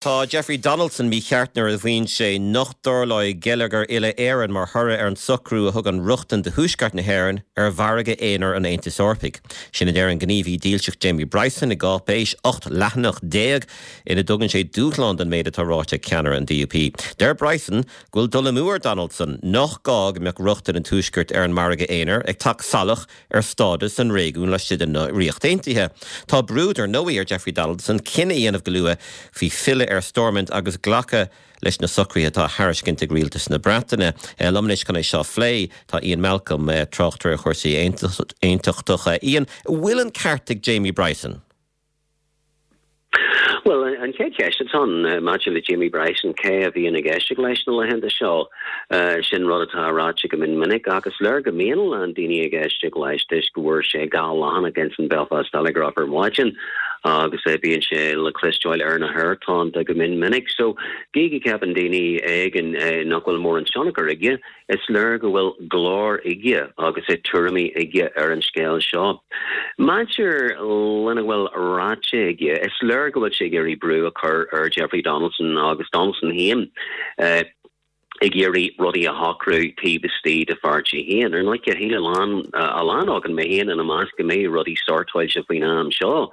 Tá Jeffrey Donaldson mícheart nuair a mhaíonn sé nach dtarlóidh geilleagar uile-Éireann mar thoradh ar an socrú a thugann rochtain do Thuaisceart na hÉireann ar mhargadh aonair an Aontais Eorpaigh. Sin a deir an gníomhaí dílseach Jamie Bryson i gcáipéis 18 leathanach ina dtugann sé dúshlán don méid atá ráite ag ceannaire an DUP. Deir Bryson go bhfuil dul amú ar Donaldson, nach gá go mbeadh rochtain an Tuaiscirt ar an margadh aonair ag teacht salach ar stádas an réigiúin laistigh den Ríocht Aontaithe. Tá brú, dar ndóigh, ar Jeffrey Donaldson cinneadh a dhéanamh go luath faoi filleadh ar Stormont agus glacadh leis na socruithe atá á thairiscint ag Rialtas na Breataine. Liom anois chun é seo a phlé tá Ian Malcolm, tráchtaire ar chúrsaí aontachtacha. Ian, an bhfuil an ceart ag Jamie Bryson? Bhuel, an chéad cheist atá ann maidir le Jamie Bryson, cé a bhíonn ag éisteacht leis na laethanta seo? Sin rud atá ráite go mion minic ach is léir go mbíonn a lán daoine ag éisteacht leis toisc go bhfuair sé 2 leathanach ins an Belfast Telegraph ar maidin agus bíonn sé le cloisteáil ar na haerthonnta go mion minic. So, gidh go gceapann daoine éigin nach bhfuil mórán tionchar aige, Is léir go bhfuil glór aige agus tuairimí aige ar an scéal seo. Maidir lena bhfuil ráite aige, is léir go bhfuil sé ag iarraidh brú a chur ar Jeffrey Donaldson agus Donaldson féin ag iarraidh rudaí a shocrú taobh istigh dá pháirtí féin. Ar ndóigh, shíl a lán, a lán againn, mé féin ina measc, go mbeadh rudaí sortáilte faoin am seo.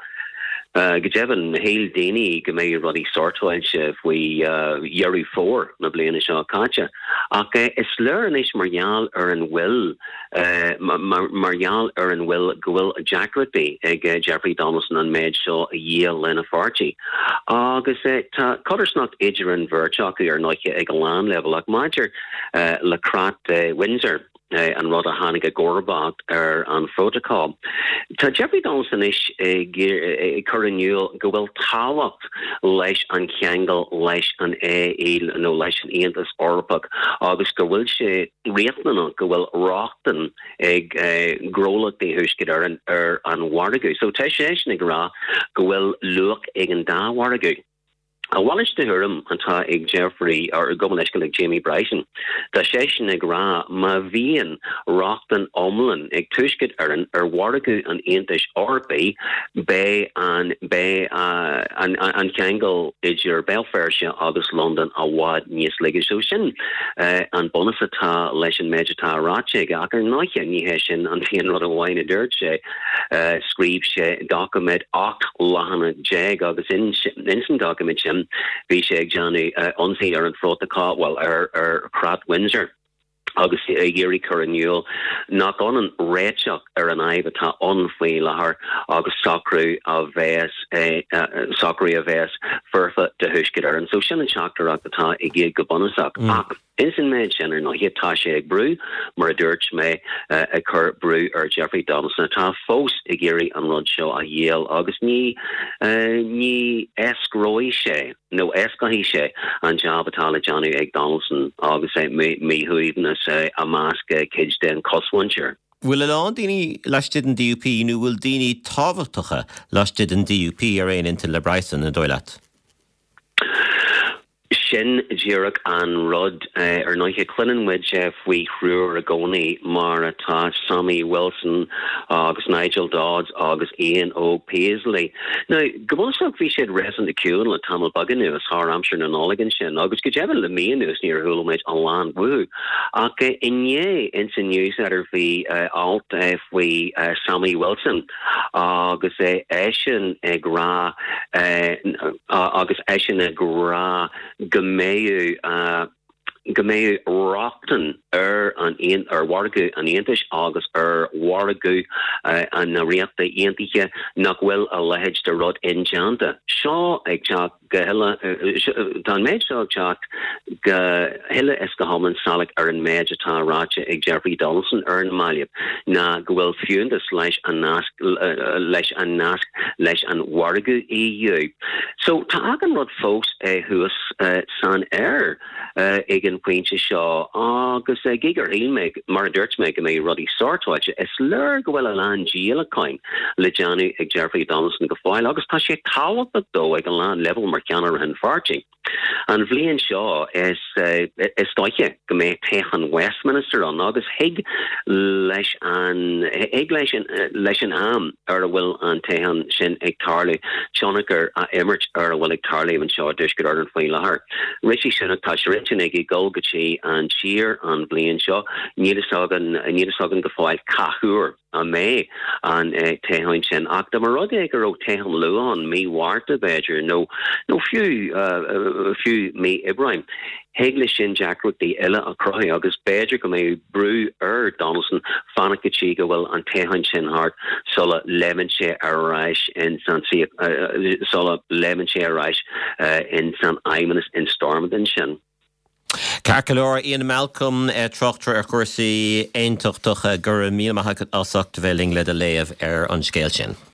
Go deimhin, shíl daoine go mbeadh rudaí sortáilte faoi Dheireadh Fómhair na bliana seo caite. Ach is léir anois mar gheall ar an bhfuil, mar gheall ar an bhfuil, go bhfuil deacrachtaí ag Jeffrey Donaldson an méid seo a dhíol lena pháirtí. Agus tá codarsnacht idir an bheirt acu, ar ndóigh, ag a lán leibhéal. Ach maidir le Creat Windsor, an rud a tháinig i gcomharbacht ar an Phrótacal. Tá Jeffrey Donaldson anois ag cur in iúl go bhfuil tábhacht leis an cheangal leis an AE nó leis an Aontas Eorpach agus go bhfuil sé riachtanach go bhfuil rochtain ag gnólachtaí Thuaisceart Éireann ar an mhargadh. So tá seisean ag rá go bhfuil luach ag an dá mhargadh. A mhalairt de thuairim atá ag Jeffrey, or gabh mo leithscéal, ag Jamie Bryson. Tá seisean ag rá má bhíonn rochtain iomlán ag Tuaisceart Éireann ar mhargadh an Aontais Eorpaigh, beidh an beidh an an ceangal idir Béal Feirste agus Londain i bhfad níos laige. So sin an bunús atá leis an méid atá ráite aige. Ach ar ndóighe ní hé sin an t-aon rud amháin a dúirt sé. Scríobh sé doiciméad 18 leathanach agus ins an doiciméad sin bhí sé ag déanamh ionsaí ar an phrótacal, bhuel, ar Chreat Windsor agus ag iarraidh cur in iúl nach ionann réiteach ar an fhadhb atá ann faoi láthair agus socrú a bheas socrú a bheas foirfe do Thuaisceart Éireann. So sin an teachtaireacht atá aige go bunúsach. Ach. Ins an méid sin, ar ndóighe, tá sé ag brú, mar a dúirt mé, ag cur brú ar Jeffrey Donaldson, atá fós ag iarraidh an rud seo a dhíol, agus ní, ní éascróidh sé, nó éascóidh sé, an jab atá le déanamh ag Donaldson agus míshuaimhneas i measc cuid den chosmhuintir. Bhfuil a lán daoine laistigh den DUP, nó bhfuil daoine tábhachtacha laistigh den DUP ar aon intinn le Bryson, an dóigh leat? Sin díreach an rud. Ar ndóighe, cluineann muid faoi thriúr i gcónaí, mar atá Sammy Wilson agus Nigel Dodds agus Ian Óg Paisley. Now, go bunúsach bhí siad réasúnta ciúin le tamall beag anuas, thar aimsir na Nollag ansin, agus go deimhin le mí anuas níor chuala muid a lán uathu. Ach inné, ins an News Letter bhí alt faoi Sammy Wilson, agus eisean ag rá agus eisean ag rá go mbeadh go mbeadh rochtain ar an ar mhargadh an Aontais agus ar mhargadh na Ríochta Aontaithe nach bhfuil a leithéid de rud indéanta. Seo ag teacht go huile, tá an méid seo ag teacht go huile is go hiomlán salach ar an méid atá ráite ag Jeffrey Donaldson ar na mallaibh, ná go bhfuil fiúntas leis an nasc leis an nasc leis an mhargadh EU. So tá achan rud fós thuas san aer. ag an bpointe seo agus gidh gur shíl mé, mar a dúirt mé, go mbeidh rudaí sortáilte, is léir go bhfuil a lán díolacháin le déanamh ag Jeffrey Donaldson go fóill agus tá sé tábhachtach dó ag a lán leibhéal mar cheannaire an pháirtí. An bhliain seo is is dóiche go mbeidh toghchán Westminster ann agus thig leis an thig leis an leis an am ar a bhfuil an toghchán sin ag tarlú tionchar a imirt ar a bhfuil ag tarlú anseo i dTuaisceart Éireann faoi láthair. Rishi Sunak tá sé ar intinn aige dul go dtí an tír an bhliain seo. Níl fhios againn níl fhios againn go fóill cá huair a mbeidh an toghchán sin ach dá mba rud é go raibh toghchán luath ann, mí Mhárta b'fhéidir nó nó fiú fiú mí Aibreáin, thig leis sin deacrachtaí eile a chruthú agus b'fhéidir go mbeadh brú ar Donaldson fanacht go dtí go bhfuil an toghchán sin thart sula léimeann sé ar ais in san sula léimeann sé ar ais in san Fheidhmeannas in Stormont ansin. Ceart go leor, Ian Malcolm, tráchtaire ar chúrsaí aontachtacha, go raibh míle maith agat as ucht a bheith linn le do léamh ar an scéal sin.